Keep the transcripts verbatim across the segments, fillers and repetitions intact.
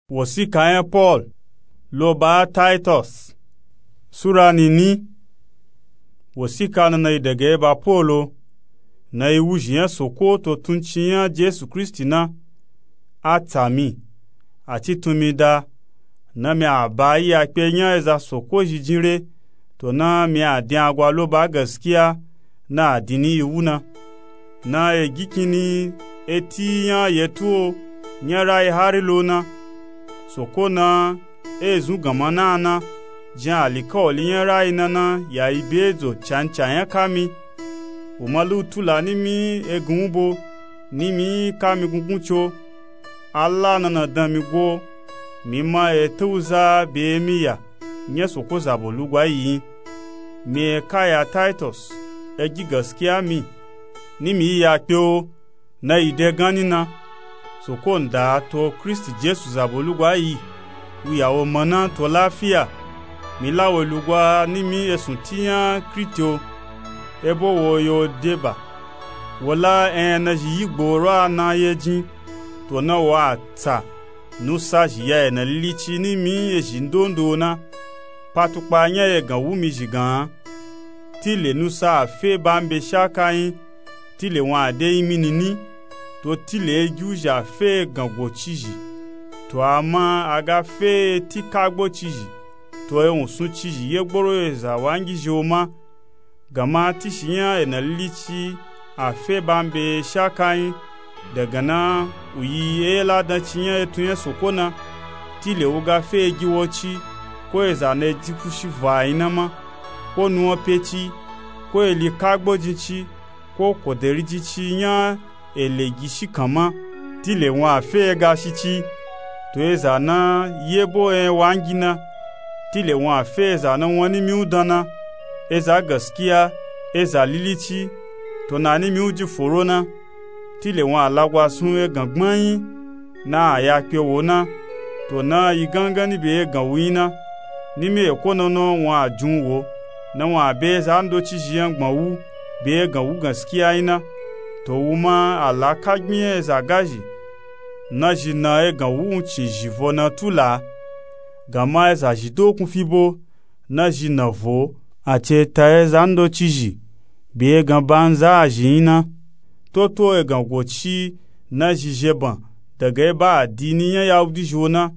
Wosika nya Pol lo ba Taitos. Sura nini. Wosika nana yi dege ba Polo, na yi wuzhi nya Soko to tuncin nya Jesu Kristi na. A tsa mi, a ci tun mi da, na mi a ba yi ya kpe nya eza Soko zhi jin re, to na mi a din agwa lo ba gaskiya na a din ni yi wu na. Na e gi kini eti nya yetu o, nya rayi hari lo na. Soko na e zun ganma na na, jin alikawali nya rayi na na ya yi be zo canca nya ka mi. Wu ma lu tula ni mi egun bo, ni mi ka mi gungun co. Ala nana dan mi go, mi ma e tawuza be mi ya nya Soko zabo lugwa yi yin. Mi e ka ya Taitos, e gi gaskiya mi, ni mi yi ya kpe o, na yi de ganni na. Soko nda to Kristi Jesu zabo lugwa yi, wu ya wo mana to lafiya. Mi la wo lugwa ni mi esun ti nya Kriti o, ebo wo yo de ba. Wo la enya na zhi yi gboro a na ye jin, to na wo a tsa nusa zhi ya ena lilici ni mi ezhi ndondo na. Patukpa nya egan wu mi zhi gan. Tile nusa a fe ba mi be shaka yin, tile wun a de yin mi nini, to tile e gi wuzhi a fe egan go cizhi. To ama a ga fe eti kagbo cizhi, to e wun sun cizhi ye gboro eza wangi zhi o ma. Ganma tishi nya ena lilici a fe ba mi be shaka yin, dagana wu yi e ladan ci nya etun nya Soko na. Tile wu ga fe e gi wo ci, ko eza na e ji fushi vo a yin na ma, ko nuwan pe ci, ko eli kagbo jin ci, ko koderi jin ci nya ele gi shikan ma. Tile wun a fe e ga shi ci, to eza na yebo enya wangi na. Tile wun a fe eza na wan ni mi wu dan na, eza gaskiya, eza lilici, to na ni mi wu ji foro na. Tile wun a lagwa sun egan gbanyi na a ya kpe wo na, to na yi gangan ni be egan wu yin na. Ni mi eko nono wun a jun wo, na wun a be eza ndo cizhi yan gban wu be egan wu gaskiya yin na. To wu ma a la ka gbin nya eza gazhi na zhi na egan wu wun cin zhi vo na tula. Ganma eza zhi dokun fi bo na zhi na vo a ci e ta eza ndo cizhi be egan banza a zhi yin na. Toto egan go ci na zhi zheban daga eba adini nya Yahudi zhi o na.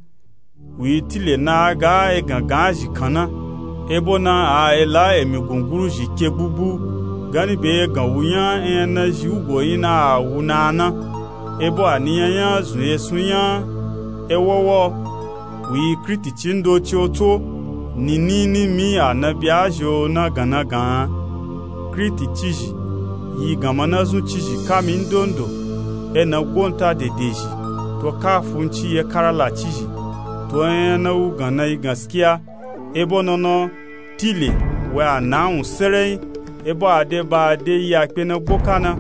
Wu yi tile na a ga egan gan a zhi kan na. Ebo na a e la emi gunguru zhi ke gbugbu ganni be egan wu nya enya na zhi wugo yin na a wu na a na. Ebo a ni nya nya zun esun nya e wowo. Wu yi Kriti ci ndo ci o tso, nini ni mi a na bya zhi o na gan na gan. Kriti cizhi yi ganma na zun cizhi ka mi ndondo, e na gonta dedezhi, to ka funci ye karala cizhi, to enya na wu gan na yi gaskiya. Ebo nono tile we a na wun sereyin, ebo a de ba a de yi a kpe na gboka na,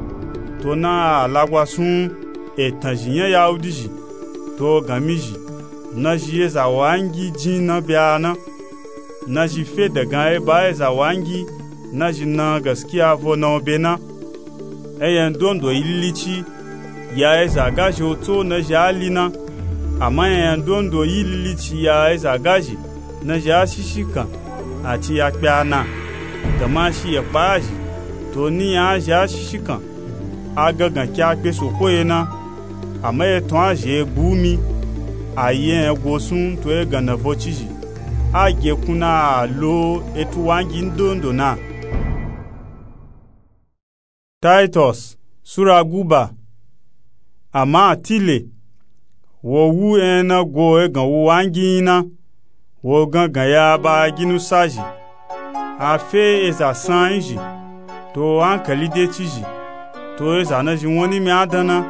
to na a lagwa sun etan zhi nya Yahudi zhi, to gan mi zhi na zhi eza wangi jin na bya na. Na zhi fe dagan eba eza wangi na zhi na gaskiya vo na o be na. Enya ndondo yi lilici ya eza gazhi o tso na zhi a li na. Ama enya ndondo yi lilici ya eza gazhi na zhi a shishikan a ci ya kpe a na. Ganma shi ye kpa a zhi, to ni nya a zhi a shishikan a gangan ke a kpe Soko ye na. Ama etun a zhi e gbu mi, a yi enya go sun to egan na vo cizhi. A gekun na a lo etu wangi ndondo na. Taitos sura guba. Ama tile wo wu enya na go egan wu wangi yin na. Wo gangan ya ba a gi nusa zhi. A fe eza san yin zhi, to ankali de cizhi, to eza na zhi won ni mi a dan na.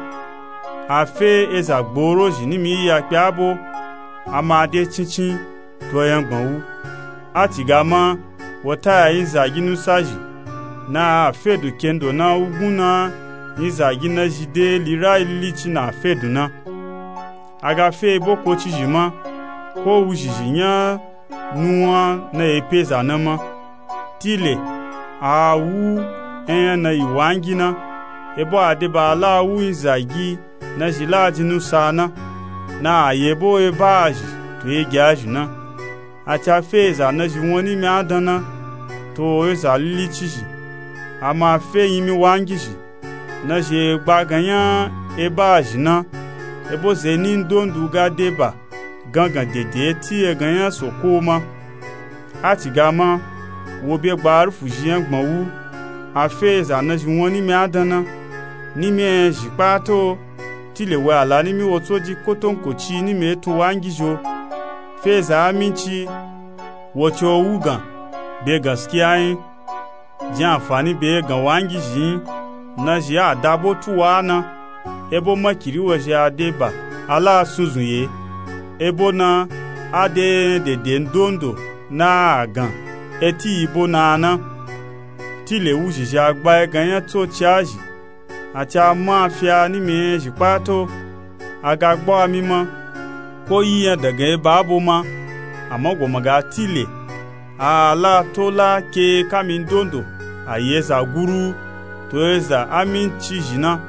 A fe eza gboro zhi ni mi yi ya kpe a bo, a ma de cincin, to yangban wu. A ciga ma wo ta ya yin zagi nusa zhi, na a fedu kendo na wugun na yin zagi na zhi de lirayi lilici na fedu na. A ga fe boko cizhi ma, ko wuzhizhi nya nuwan na ye pe za na ma. Tile a wu enya na yi wangi na, ebo a de ba a la wu yin zagi na zhi la jin nusa na. na a yebo eba a zhi to egi a zhi na. A ci a fe eza nazhi won nimi a dan na, to eza lilicizhi, a ma fe nyimi wangizhi nazhi e gba gan nya eba a zhi na. Ebo ze ni ndondu ga deba gangan dede eti egan nya soko ma. A ci ga ma wo be gba arufu zhi nya gbon wu, a fe eza nazhi won nimi a dan na. Nimi e zhi kpata o, tile we a la nimi wo tso ji kotonkoci nimi e tun wangizhi o. Fe eza aminci, wo ci o wugan be gaskiya nyi, jin anfani be egan wangizhi nyi, nazhi a dabo tuwa na. Ebo makiri wozhi a deba a la a sunzun ye. Ebo na a de enya dede ndondo na a gan eti yi bo na a na. Tile wuzhizhi a gba egan nya tsoci a zhi, a ci a ma a fi a nimi e zhi kpata o. A ga gba a mi ma, ko yi nya dagan eba abo ma, ama goma ga tile a la to la ke kami ndondo a yi eza guru to eza aminci zhi na.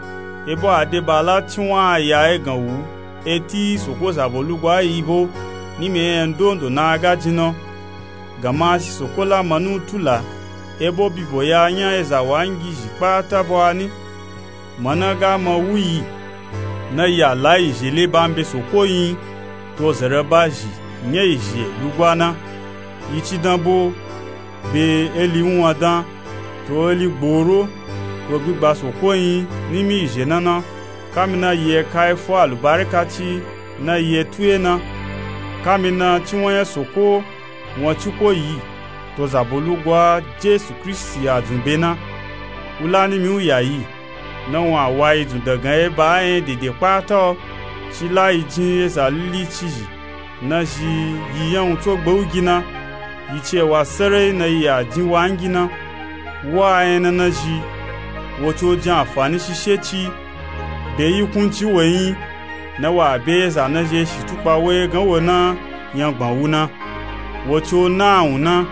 Ebo a deba a la ciwan a ya egan wu eti soko zabo lugwa yi bo nimi e nya ndondo na a ga jin na. Gama shi soko la manu tula, ebo bibo ya nya eza wangizhi kpata bo a ni. Mana ga ma wu yi, na yi a la yi zhele ba mbe soko nyi, to zere ba zhi nya yi zhe lugwa na. Yi ci dan bo be eli wunwan dan, to eli gboro, to gbigba soko nyi nimi yi zhe na na. Kami na yi e ka e fo alubarika ci na yi e tu ye na. Kami na ciwan nya soko won ci ko yi to zabo lugwa jesu kristi a dzun be na. Wu la nimi u ya yi, na wun a wa yi dzun dagan eba a enya dede kpata o. Ci la yi jin eza lilicizhi nazhi yi nya wun tso gbe u gi na. Yi ci e wa serai na yi a jin wangi na. Wa enya na nazhi, wo ci o jin anfani shishe ci be yi kunci we nyi, na wa be eza nazhi e shi tukpa wo egan wo na nya gbon wu na. Wo ci o na awun na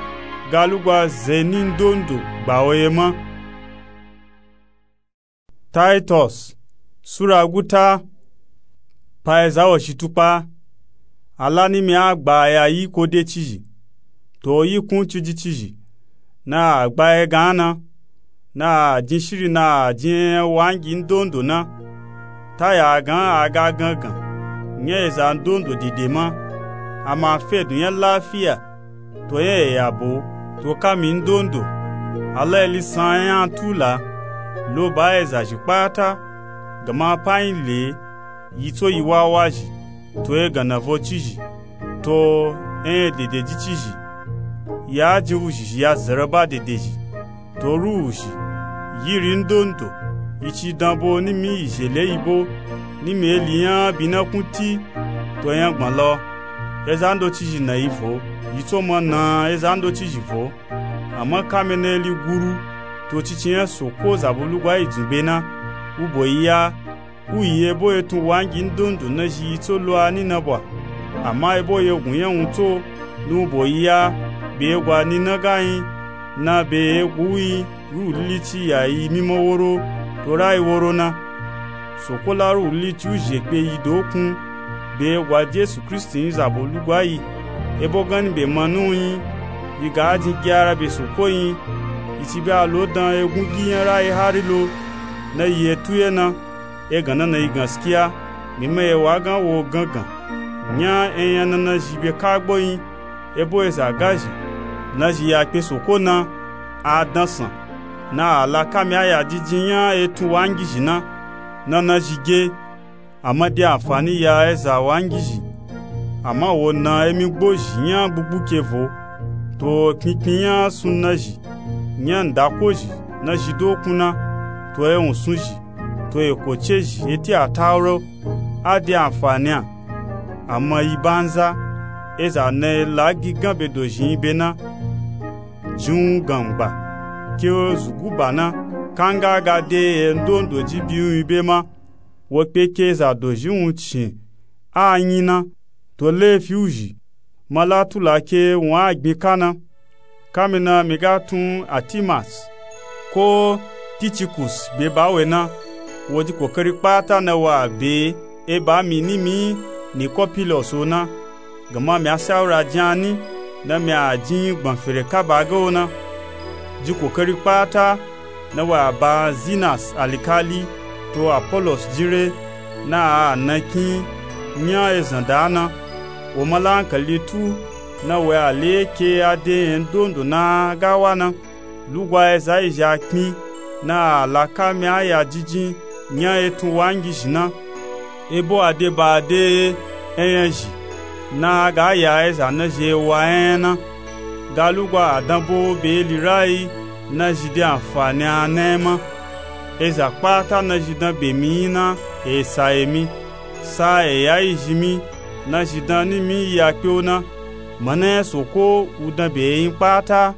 ga lugwa ze ni ndondo gba wo ye ma. Taitos sura guta. Pa eza wo shi tukpa, a la nimi a gba a ya yi ko decizhi, to yi kun ciji cizhi, na a gba egan na, na a jin shiri na a jin enya wangi ndondo na. Ta ya a gan a ga gangan nya eza ndondo dede ma, a ma fe dun nya lafiya to nya e ya bo, to kami ndondo. A la eli san enya tula lo ba eza zhi kpata, gama pa nyi le yi tso yi wawa zhi, to egan na vo cizhi, to enya dede ji cizhi. Ya jin wuzhizhi ya zere ba dede zhi, to ru wuzhi yiri ndondo. Yi ci dan bo nimi yi zhele yi bo, nimi eli nya bi na kun ti to enya gbon lo. Eza ndo cizhi na yi vo, yi tso ma na eza ndo cizhi vo. Ama kami na eli guru to cici nya soko zabo lugwa yi dzun be na, u bo yi ya. U yi ebo etun wangi ndondo nazhi yi tso lo a ni na bwa. Ama ebo yegun nya wun tso, na u bo yi ya. Be egwa ni na ga nyi, na be egu u nyi, ruhu lilici ya yi mima woro to rayi woro na. Soko la ruhu lilici u zhe kpe yi dokun, be egwa jesu kristi nyi zabo lugwa yi. Ebo ganni be manu nyi, yi ga jin gyara be soko nyi. Yi ci be a lo dan egun gi nya rayi hari lo, na yi etu ye na. Egan na na yi gaskiya. Mi ma e wa gan wo gangan nya enya na nazhi be kagbo nyi. Ebo eza gazhi nazhi ya kpe soko na, a dansan, na a la kami a ya jijin nya etun wangizhi na, na nazhi ge. A ma de anfani ya eza wangizhi, ama wo na emi gbozhi nya gbugbuke vo, to kpinkpin nya sun nazhi, nya ndakozhi nazhi dokun na, to ewun sunzhi, to ekocezhi eti atauro. A de anfani a, ama yi banza. Eza na e la gigan be dozhi nyi be na, jin wun gangba ke zuguba na, kanga a ga de endondo ji bi wun nyi be ma. Wo kpe ke eza dozhi wun cin a nyi na, to lefi wuzhi ma la tula ke wun a gbin ka na. Kami na mi ga tun atimas ko tikikus be ba we na, wo ji kokari kpata na wa be e ba mi ni mi Nikopilos o na, gama mi a sawura jin a ni na mi a jin gbọn fere kaba ge o na. Ji kokari kpata na wa a ba Zinas alikali to Apolos jin re na a na kin nya ezan da na. Wo ma la ankali tu na wo a le ke a de nya ndondo na ga wa na. Lugwa eza izhi a kpin na a la kami a ya jijin nya etun wangizhi na. Ebo a de ba a de enyazhi na a ga ya eza na zhi e wa enya na. Ga lugwa a danbo be eli rayi na zhi de anfani a na enya ma. Eza kpata na zhi dan be mi yin na e sa emi, sa e ya izhi mi, na zhi dan ni mi yi a kpe o na. Mana nya soko u dan be eyin kpata.